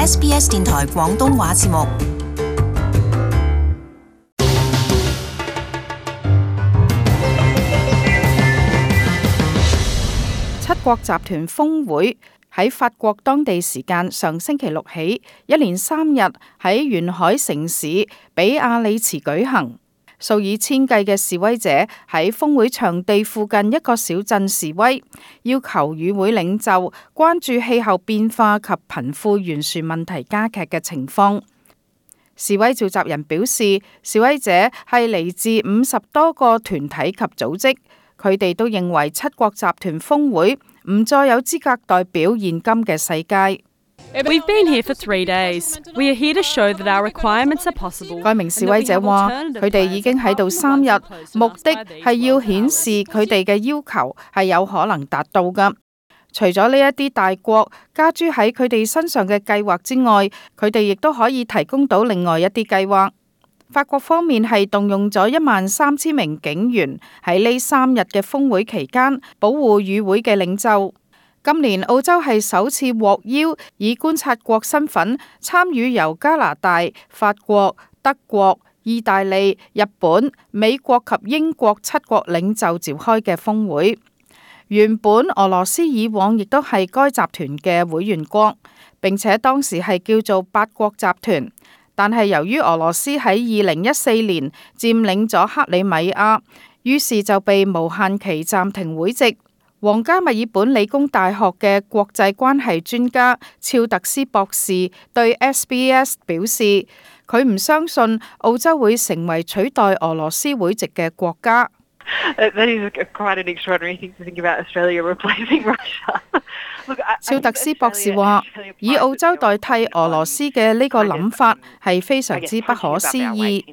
SBS 電台廣東話節目。七國集團峰會喺法國當地時間上星期六起，一連3日喺沿海城市比亞里茨舉行。數以千計嘅示威者喺峰會場地附近一個小鎮示威，要求與會領袖關注氣候變化及貧富懸殊問題加劇嘅情況。示威召集人表示，示威者係嚟自50多個團體及組織，佢哋都認為七國集團峰會唔再有資格代表現今嘅世界。We've been here for 3 days. We are here to show that our requirements are possible. 該名示威者話：佢哋已經喺度3日，目的係要顯示佢哋嘅要求係有可能達到㗎。除咗呢一啲大國加諸喺佢哋身上嘅計劃之外，佢哋亦都可以提供到另外一啲計劃。法國方面係動用咗13000名警員喺呢3日嘅峰會期間保護與會嘅領袖。今年澳洲係首次獲邀以觀察國身份參與由加拿大、法國、德國、意大利、日本、美國及英國7國領袖召開嘅峰會。原本俄羅斯以往亦都係該集團嘅會員國，並且當時係叫做8國集團，但係由於俄羅斯喺2014年佔領咗克里米亞，於是就被無限期暫停會籍。皇家墨爾本理工大學嘅國際關係專家肖特斯博士對 SBS 表示，佢唔相信澳洲會成為取代俄羅斯會籍嘅國家。肖特斯博士話：以澳洲代替俄羅斯嘅呢個諗法係非常之不可思議。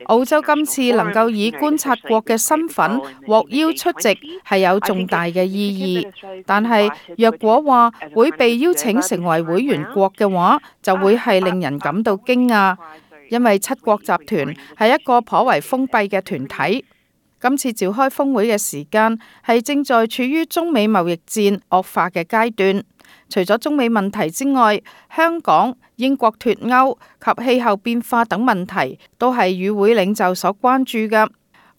澳洲今次能夠以觀察國嘅身份獲邀出席係有重大嘅意義，但係若果話會被邀請成為會員國嘅話，就會係令人感到驚訝，因為七國集團係一個頗為封閉嘅團體。今次召開峰會嘅時間係正在處於中美貿易戰惡化嘅階段。除咗中美問題之外，香港、英國脫歐及氣候變化等問題都係與會領袖所關注嘅。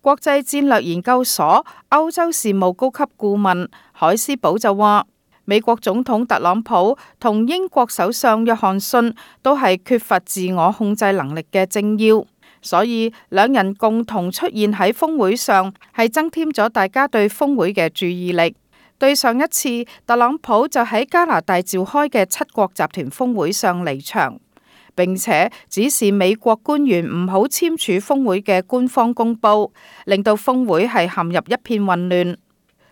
國際戰略研究所歐洲事務高級顧問海斯堡就話，美國總統特朗普同英國首相約翰遜都係缺乏自我控制能力嘅政要。所以兩人共同出現喺峰會上，係增添咗大家對峰會嘅注意力。對上一次特朗普就喺加拿大召開嘅七國集團峰會上離場，並且指示美國官員唔好簽署峰會嘅官方公報，令到峰會係陷入一片混亂。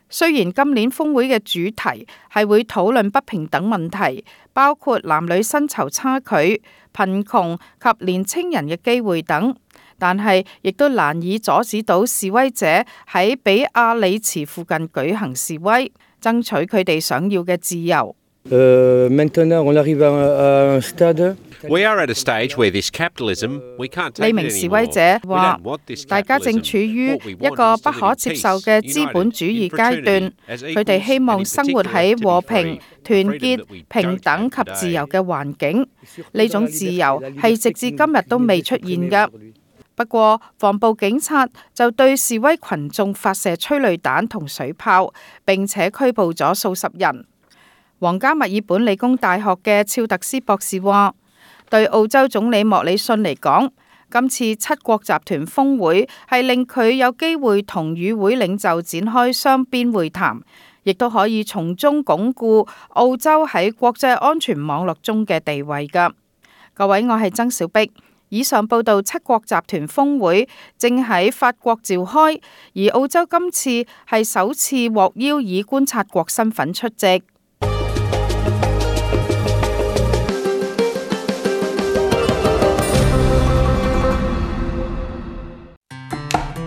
雖然今年峰會嘅主題係會討論不平等問題，包括男女薪酬差距、貧窮及年青人嘅機會等，但係亦都難以阻止到示威者喺比亞里茨附近舉行示威，爭取佢哋想要嘅自由。呢名示威者話：大家正處於一個不可接受嘅資本主義階段，佢哋希望生活喺和平、團結、平等及自由嘅環境。呢種自由係直至今日都未出現嘅。不過，防暴警察就對示威群眾發射催淚彈同水炮，並且拘捕咗數十人。皇家墨爾本理工大學嘅肖特斯博士話：對澳洲總理莫里遜嚟講，今次七國集團峰會係令佢有機會同與會領袖展開雙邊會談，亦都可以從中鞏固澳洲喺國際安全網絡中嘅地位㗎。各位，我係曾小碧。以上報道七國集團峰會正喺法國召開，而澳洲今次係首次獲邀以觀察國身份出席。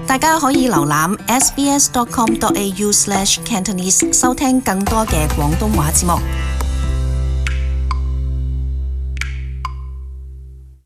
大家可以瀏覽 sbs.com.au/cantonese 收聽更多嘅廣東話節目。